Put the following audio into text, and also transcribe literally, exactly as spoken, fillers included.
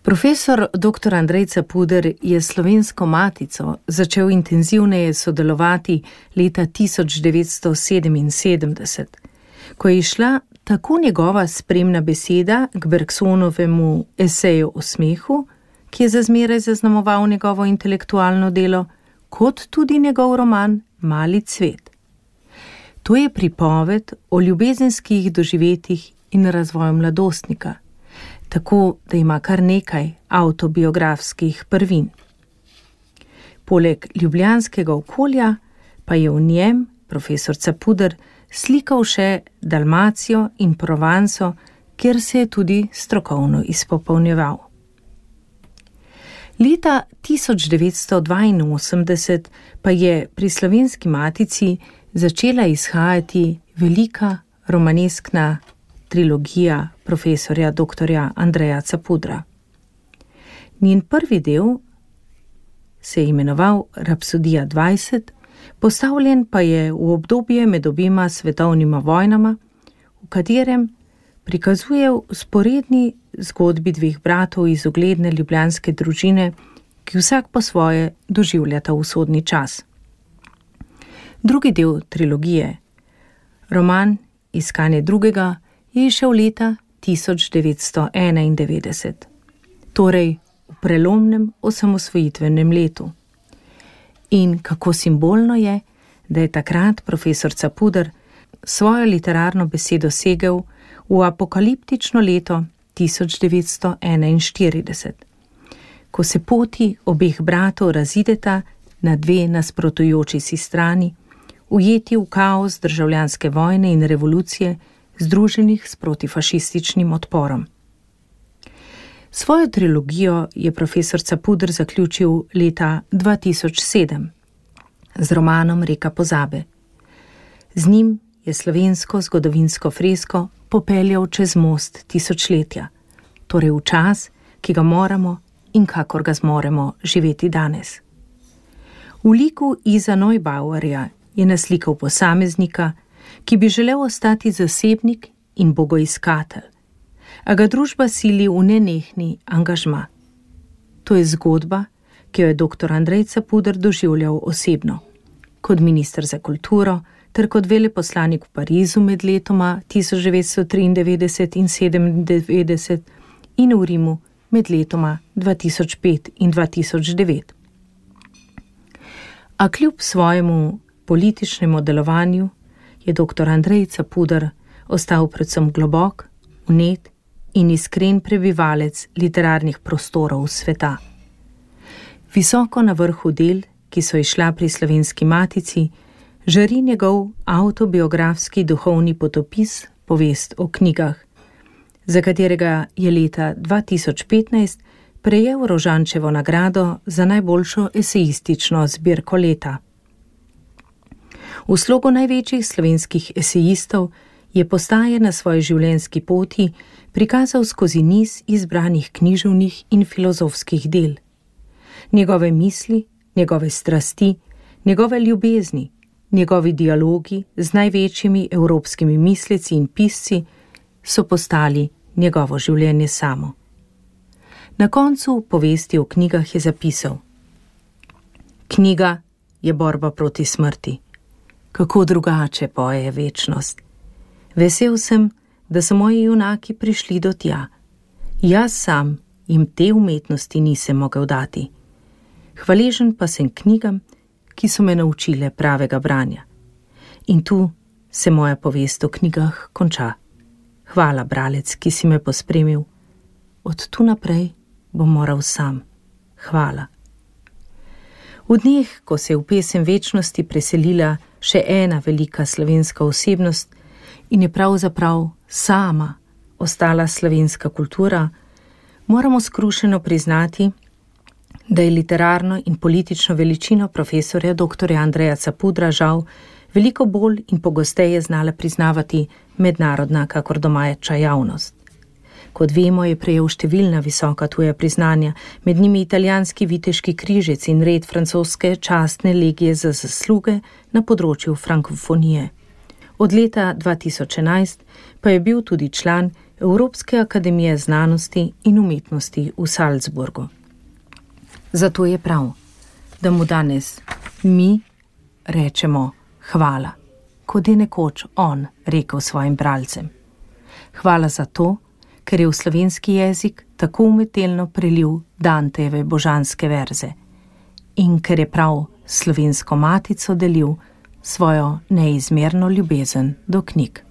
Profesor doktor Andrej Capuder je s Slovensko matico začel intenzivneje sodelovati leta tisoč devetsto sedeminsedemdeset, ko je išla tako njegova spremna beseda k Bergsonovemu eseju o smehu, ki je za zmeraj zaznamoval njegovo intelektualno delo, kot tudi njegov roman Mali cvet. To je pripoved o ljubezenskih doživetjih in razvoju mladostnika, tako da ima kar nekaj avtobiografskih prvin. Poleg ljubljanskega okolja pa je v njem profesor Capuder slikal še Dalmacijo in Provanso, kjer se je tudi strokovno izpopolnjeval. Leta tisoč devetsto dvainosemdeset pa je pri Slovenski matici začela izhajati velika romaneskna trilogija profesorja doktorja Andreja Capudra. Njen prvi del se je imenoval Rapsodija dvajset, postavljen pa je v obdobje med obima svetovnima vojnama, v katerem prikazuje vzporedni zgodbi dveh bratov iz ugledne ljubljanske družine, ki vsak po svoje doživljata usodni čas. Drugi del trilogije, roman Iskanje drugega, je izšel leta tisoč devetsto enaindevetdeset, torej v prelomnem osamosvojitvenem letu. In kako simbolno je, da je takrat profesor Capuder svojo literarno besedo segel v apokaliptično leto tisoč devetsto enainštirideset, ko se poti obeh bratov razideta na dve nasprotujoči si strani, ujeti v kaos državljanske vojne in revolucije, združenih s protifašističnim odporom. Svojo trilogijo je profesor Capuder zaključil leta dva tisoč sedem z romanom Reka pozabe. Z njim je slovensko zgodovinsko fresko popeljal čez most tisočletja, torej v čas, ki ga moramo in kakor ga zmoremo živeti danes. V liku Iza Neubauerja je naslikal posameznika, ki bi želel ostati zasebnik in bogoiskatelj, a ga družba sili v nenehni angažma. To je zgodba, ki jo je doktor Andrej Capuder doživljal osebno, kot minister za kulturo ter kot veleposlanik v Parizu med letoma tisoč devetsto triindevetdeset in sedemindevetdeset in v Rimu med letoma dva tisoč pet in dva tisoč devet. A kljub svojemu političnemu delovanju je doktor Andrej Capuder ostal predvsem globok, vnet in iskren prebivalec literarnih prostorov sveta. Visoko na vrhu del, ki so izšla pri Slovenski matici, žari njegov avtobiografski duhovni potopis Povest o knjigah, za katerega je leta dva tisoč petnajst prejel Rožančevo nagrado za najboljšo esejistično zbirko leta. V slogu največjih slovenskih esejistov je Postaje na svoji življenjski poti prikazal skozi niz izbranih književnih in filozofskih del. Njegove misli, njegove strasti, njegove ljubezni, njegovi dialogi z največjimi evropskimi misleci in pisci so postali njegovo življenje samo. Na koncu Povesti o knjigah je zapisal: Knjiga je borba proti smrti. Kako drugače poje večnost. Vesel sem, da so moji junaki prišli do tja. Jaz sam jim te umetnosti nisem mogel dati. Hvaležen pa sem knjigam, ki so me naučile pravega branja. In tu se moja povest o knjigah konča. Hvala, bralec, ki si me pospremil. Od tu naprej bom moral sam. Hvala. V dneh, ko se je v pesem večnosti preselila še ena velika slovenska osebnost in je pravzaprav sama ostala slovenska kultura, moramo skrušeno priznati, da je literarno in politično veličino profesorja doktorja Andreja Capudra žal veliko bolj in pogosteje znala priznavati mednarodna kakor domača javnost. Kot vemo, je prejel številna visoka tuja priznanja, med njimi italijanski viteški križec in red francoske častne legije za zasluge na področju frankofonije. Od leta dva tisoč enajst pa je bil tudi član Evropske akademije znanosti in umetnosti v Salzburgu. Zato je prav, da mu danes mi rečemo hvala, kot je nekoč on rekel svojim bralcem. Hvala za to, ker je v slovenski jezik tako umetelno prelil Dantejeve božanske verze in ker je prav slovensko matico delil svojo neizmerno ljubezen do knjig.